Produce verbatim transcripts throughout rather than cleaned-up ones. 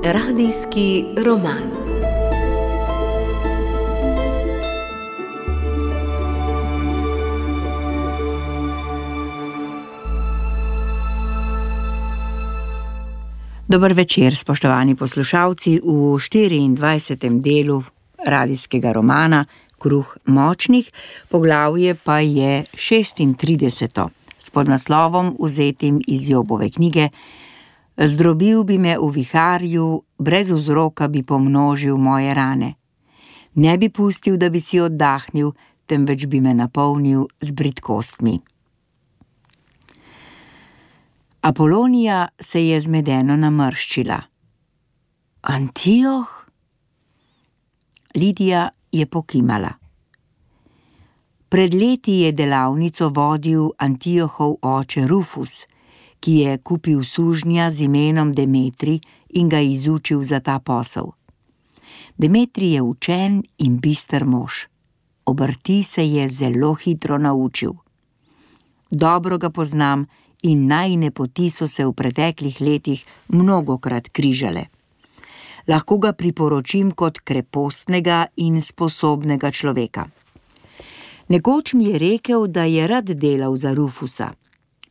Radijski roman. Dober večer, spoštovani poslušalci, v štiriindvajsetem delu radijskega romana Kruh močnih, poglavje pa je šestintrideseto, s podnaslovom vzetim iz Jobove knjige. Zdrobil bi me v viharju, brez vzroka bi pomnožil moje rane. Ne bi pustil, da bi si oddahnil, temveč bi me napolnil z bridkostmi. Apolonija se je zmedeno namrščila. Antioh? Lidija je pokimala. Pred leti je delavnico vodil Antiohov oče Rufus, ki je kupil sužnja z imenom Demetri in ga izučil za ta posel. Demetri je učen in bister mož. Obrti se je zelo hitro naučil. Dobro ga poznam in najine poti so se v preteklih letih mnogokrat križale. Lahko ga priporočim kot krepostnega in sposobnega človeka. Nekoč mi je rekel, da je rad delal za Rufusa.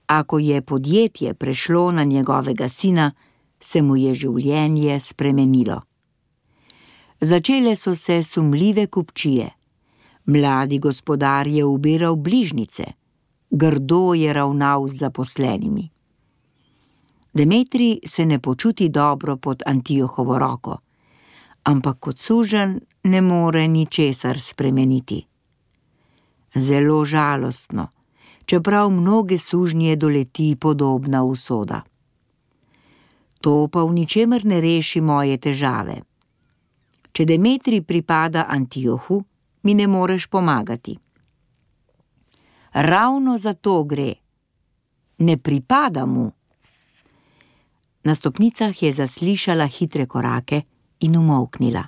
Ako je podjetje prešlo na njegovega sina, se mu je življenje spremenilo. Začele so se sumljive kupčije. Mladi gospodar je ubiral bližnjice. Grdo je ravnal z zaposlenimi. Demetri se ne počuti dobro pod Antiohovo roko, ampak kot suženj ne more ničesar spremeniti. Zelo žalostno, čeprav mnoge sužnje doleti podobna usoda. To pa v ničemer ne reši moje težave. Če Demetri pripada Antiohu, mi ne moreš pomagati. Ravno za to gre. Ne pripada mu. Na stopnicah je zaslišala hitre korake in umolknila.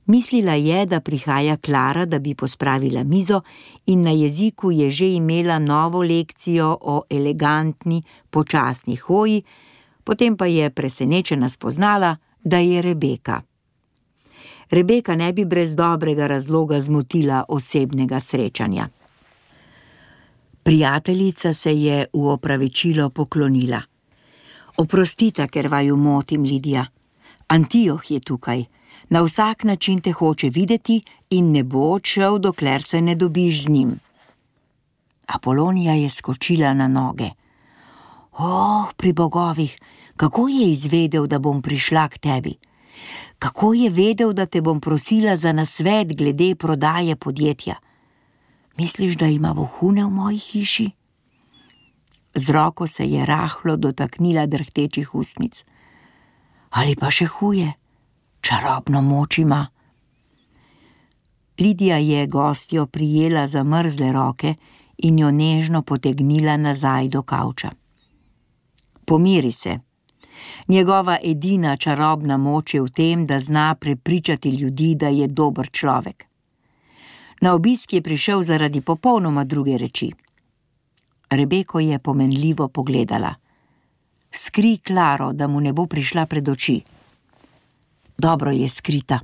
Mislila je, da prihaja Klara, da bi pospravila mizo, in na jeziku je že imela novo lekcijo o elegantni, počasni hoji, potem pa je presenečena spoznala, da je Rebeka. Rebeka ne bi brez dobrega razloga zmotila osebnega srečanja. Prijateljica se je v opravičilo poklonila. Oprostite, ker vaju motim, Lidija. Antioh je tukaj. Na vsak način te hoče videti in ne bo odšel, dokler se ne dobiš z njim. Apolonija je skočila na noge. Oh, pri bogovih, kako je izvedel, da bom prišla k tebi? Kako je vedel, da te bom prosila za nasvet glede prodaje podjetja? Misliš, da ima vohune v moji hiši? Z roko se je rahlo dotaknila drhtečih ustnic. Ali pa še huje? Čarobno moč ima. Lidija je gostjo prijela za mrzle roke in jo nežno potegnila nazaj do kavča. Pomiri se. Njegova edina čarobna moč je v tem, da zna prepričati ljudi, da je dober človek. Na obisk je prišel zaradi popolnoma druge reči. Rebeko je pomenljivo pogledala. Skri Klaro, da mu ne bo prišla pred oči. Dobro je skrita.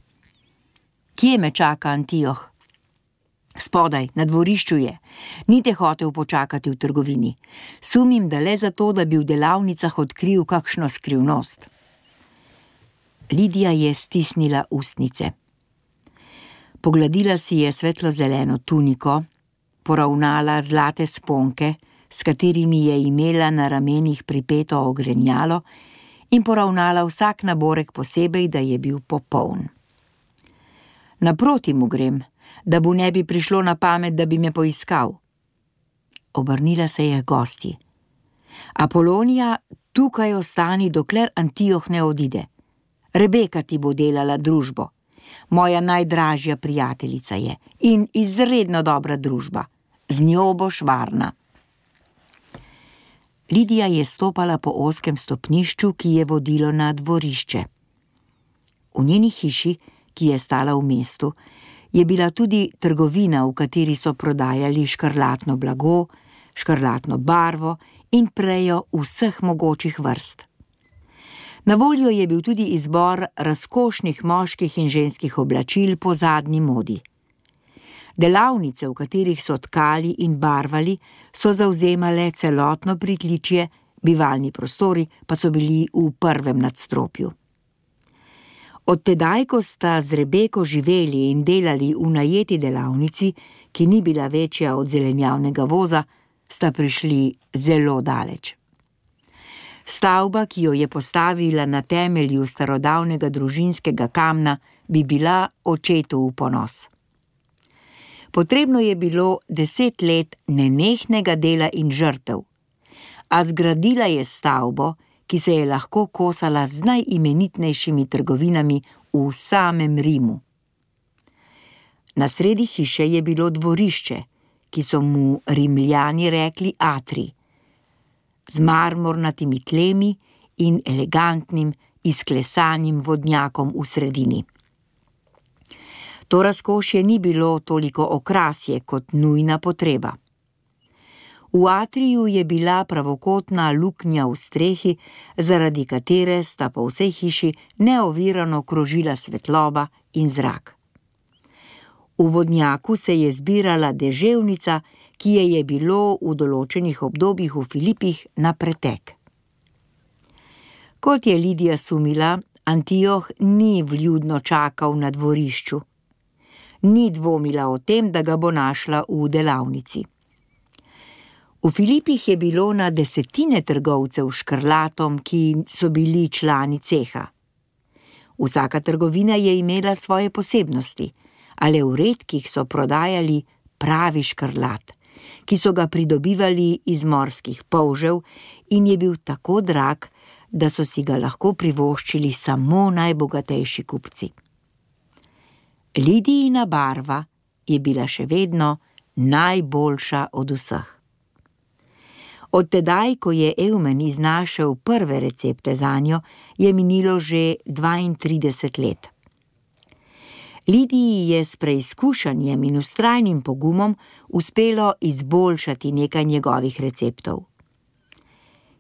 Kje me čaka Antioh? Spodaj, na dvorišču je. Ni te hotel počakati v trgovini. Sumim, da le zato, da bi v delavnicah odkril kakšno skrivnost. Lidija je stisnila ustnice. Pogladila si je svetlo-zeleno tuniko, poravnala zlate sponke, s katerimi je imela na ramenih pripeto ogrenjalo, in poravnala vsak naborek posebej, da je bil popoln. Naproti mu grem, da mu ne bi prišlo na pamet, da bi me poiskal. Obrnila se je gosti. Apolonija, tukaj ostani, dokler Antioh ne odide. Rebeka ti bo delala družbo. Moja najdražja prijateljica je in izredno dobra družba. Z njo boš varna. Lidija je stopala po ozkem stopnišču, ki je vodilo na dvorišče. V njeni hiši, ki je stala v mestu, je bila tudi trgovina, v kateri so prodajali škrlatno blago, škrlatno barvo in prejo vseh mogočih vrst. Na voljo je bil tudi izbor razkošnih moških in ženskih oblačil po zadnji modi. Delavnice, v katerih so tkali in barvali, so zavzemale celotno pritličje, bivalni prostori pa so bili v prvem nadstropju. Od tedaj, ko sta z Rebeko živeli in delali v najeti delavnici, ki ni bila večja od zelenjavnega voza, sta prišli zelo daleč. Stavba, ki jo je postavila na temelju starodavnega družinskega kamna, bi bila očetu v ponos. Potrebno je bilo deset let nenehnega dela in žrtev, a zgradila je stavbo, ki se je lahko kosala z najimenitnejšimi trgovinami v samem Rimu. Na sredi hiše je bilo dvorišče, ki so mu Rimljani rekli atrij, z marmornatimi tlemi in elegantnim, izklesanim vodnjakom v sredini. To razkošje ni bilo toliko okrasje kot nujna potreba. V atriju je bila pravokotna luknja v strehi, zaradi katere sta po vsej hiši neovirano krožila svetloba in zrak. V vodnjaku se je zbirala deževnica, ki je je bilo v določenih obdobjih v Filipih na pretek. Kot je Lidija sumila, Antioh ni vljudno čakal na dvorišču. Ni dvomila o tem, da ga bo našla v delavnici. V Filipih je bilo na desetine trgovcev s škrlatom, ki so bili člani ceha. Vsaka trgovina je imela svoje posebnosti, a le v redkih so prodajali pravi škrlat, ki so ga pridobivali iz morskih polžev in je bil tako drag, da so si ga lahko privoščili samo najbogatejši kupci. Lidijina barva je bila še vedno najboljša od vseh. Od tedaj, ko je Eumen iznašel prve recepte zanjo, je minilo že dvaintrideset let. Lidiji je s preizkušanjem in vztrajnim pogumom uspelo izboljšati nekaj njegovih receptov.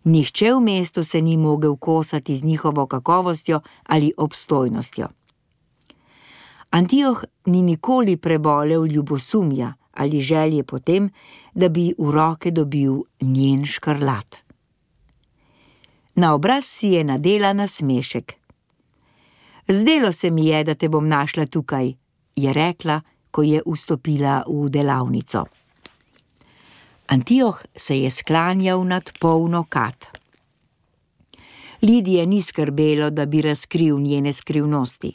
Nihče v mestu se ni mogel kosati z njihovo kakovostjo ali obstojnostjo. Antioh ni nikoli prebolel ljubosumja ali želje potem, da bi v roke dobil njen škrlat. Na obraz si je nadela nasmešek. Zdelo se mi je, da te bom našla tukaj, je rekla, ko je vstopila v delavnico. Antioh se je sklanjal nad polno kad. Lidije ni skrbelo, da bi razkril njene skrivnosti.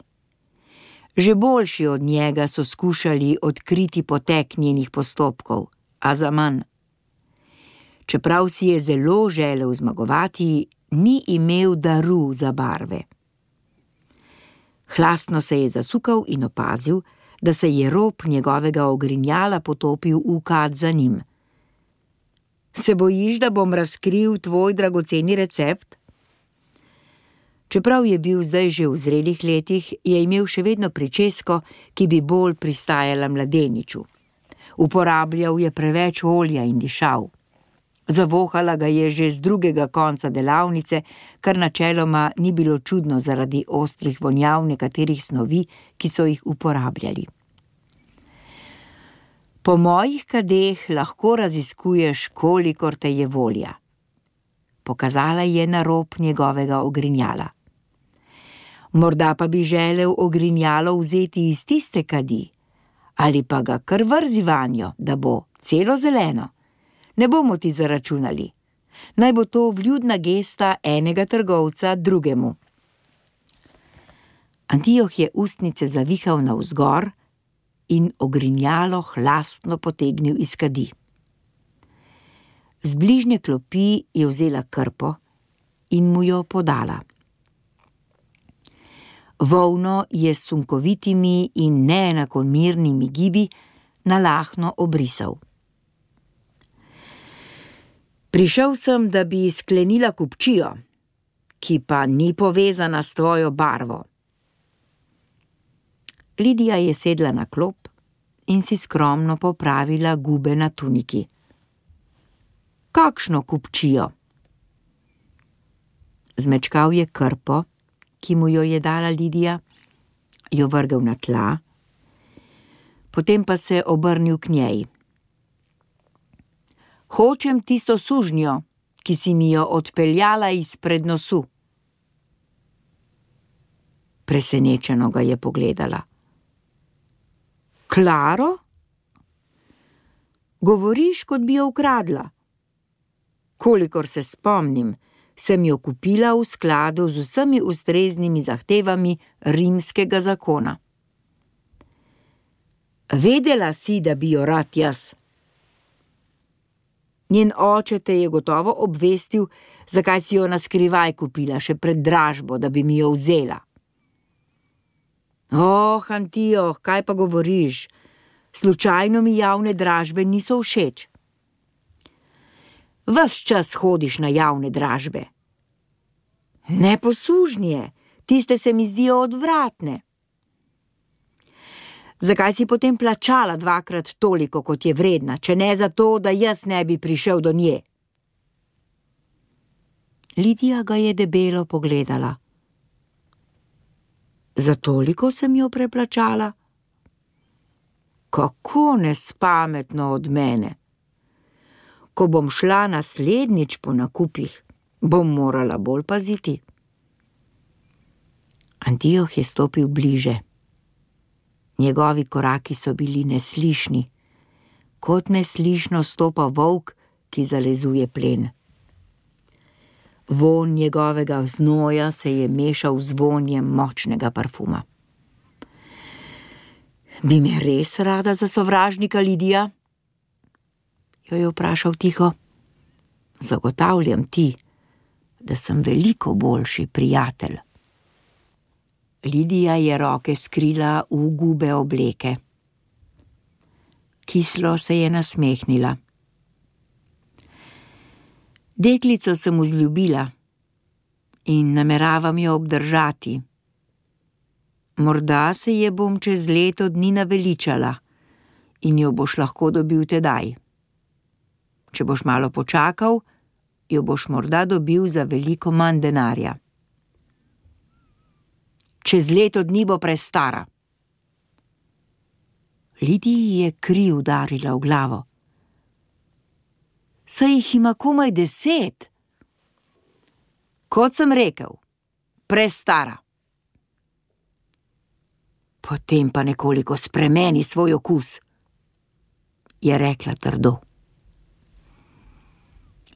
Že boljši od njega so skušali odkriti potek njenih postopkov, a zaman. Čeprav si je zelo želel zmagovati, ni imel daru za barve. Hlastno se je zasukal in opazil, da se je rob njegovega ogrinjala potopil v kad za njim. Se bojiš, da bom razkril tvoj dragoceni recept? Čeprav je bil zdaj že v zrelih letih, je imel še vedno pričesko, ki bi bolj pristajala mladeniču. Uporabljal je preveč olja in dišav. Zavohala ga je že z drugega konca delavnice, kar načeloma ni bilo čudno zaradi ostrih vonjav nekaterih snovi, ki so jih uporabljali. Po mojih kadeh lahko raziskuješ, kolikor te je volja. Pokazala je na rob njegovega ogrinjala. Morda pa bi želel ogrinjalo vzeti iz tiste kadi, ali pa ga kar vrzi vanjo, da bo celo zeleno. Ne bomo ti zaračunali. Naj bo to vljudna gesta enega trgovca drugemu. Antioh je ustnice zavihal navzgor in ogrinjalo hlastno potegnil iz kadi. Z bližnje klopi je vzela krpo in mu jo podala. Volno je s sunkovitimi in neenakomernimi gibi nalahno obrisal. Prišel sem, da bi sklenila kupčijo, ki pa ni povezana s tvojo barvo. Lidija je sedla na klop in si skromno popravila gube na tuniki. Kakšno kupčijo? Zmečkal je krpo, ki mu jo je dala Lidija, jo vrgel na tla, potem pa se obrnil k njej. Hočem tisto sužnjo, ki si mi jo odpeljala izpred nosu. Presenečeno ga je pogledala. Klaro? Govoriš, kot bi jo ukradla. Kolikor se spomnim, sem jo kupila v skladu z vsemi ustreznimi zahtevami rimskega zakona. Vedela si, da bi jo rad jaz. Njen oče te je gotovo obvestil, zakaj si jo naskrivaj kupila, še pred dražbo, da bi mi jo vzela. Oh, Antioh, kaj pa govoriš? Slučajno mi javne dražbe niso všeč. Ves čas hodiš na javne dražbe. Ne posužnje, tiste se mi zdijo odvratne. Zakaj si potem plačala dvakrat toliko, kot je vredna, če ne zato, da jaz ne bi prišel do nje? Lidija ga je debelo pogledala. Za toliko sem jo preplačala? Kako nespametno od mene. Ko bom šla naslednjič po nakupih, bom morala bolj paziti. Antioh je stopil bliže. Njegovi koraki so bili neslišni, kot neslišno stopa volk, ki zalezuje plen. Vonj njegovega znoja se je mešal z vonjem močnega parfuma. Bi me res rada za sovražnika, Lidija? Jo je vprašal tiho. Zagotavljam ti, da sem veliko boljši prijatelj. Lidija je roke skrila v gube obleke. Kislo se je nasmehnila. Deklico sem vzljubila in nameravam jo obdržati. Morda se je bom čez leto dni naveličala in jo boš lahko dobil tedaj. Če boš malo počakal, jo boš morda dobil za veliko manj denarja. Čez leto dni bo prestara. Lidiji je kri udarila v glavo. Saj jih ima komaj deset. Kot sem rekel, prestara. Potem pa nekoliko spremeni svoj okus, je rekla trdo.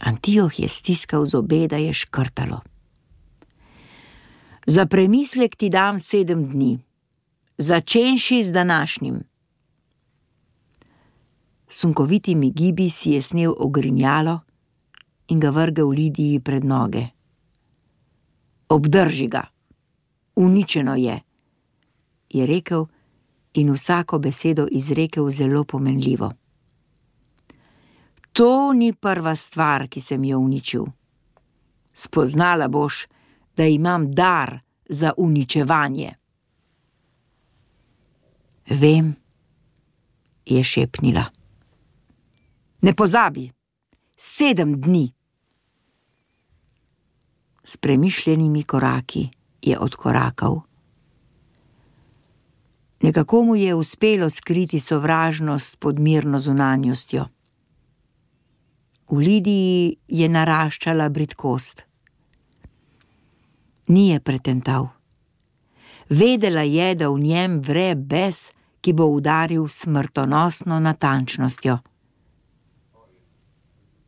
Antioh je stiskal zobe, da je škrtalo. Za premislek ti dam sedem dni, začenši z današnjim. Sunkovitimi gibi si je snel ogrinjalo in ga vrgel Lidiji pred noge. Obdrži ga, uničeno je, je rekel in vsako besedo izrekel zelo pomenljivo. To ni prva stvar, ki sem jo uničil. Spoznala boš, da imam dar za uničevanje. Vem, je šepnila. Ne pozabi, sedem dni. S premišljenimi koraki je odkorakal. Nekako mu je uspelo skriti sovražnost pod mirno zunanjostjo. V Lidiji je naraščala bridkost. Ni je pretental. Vedela je, da v njem vre bes, ki bo udaril smrtonosno natančnostjo.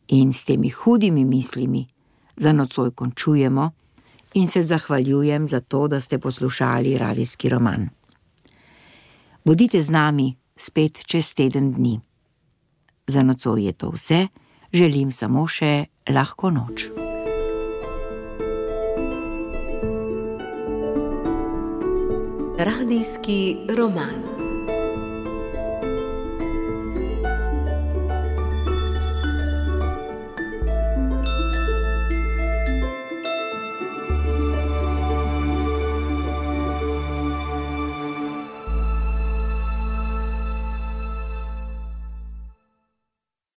In s temi hudimi mislimi za nocoj končujemo in se zahvaljujem za to, da ste poslušali radijski roman. Bodite z nami spet čez teden dni. Za nocoj je to vse, želim samo še lahko noč. Radijski roman.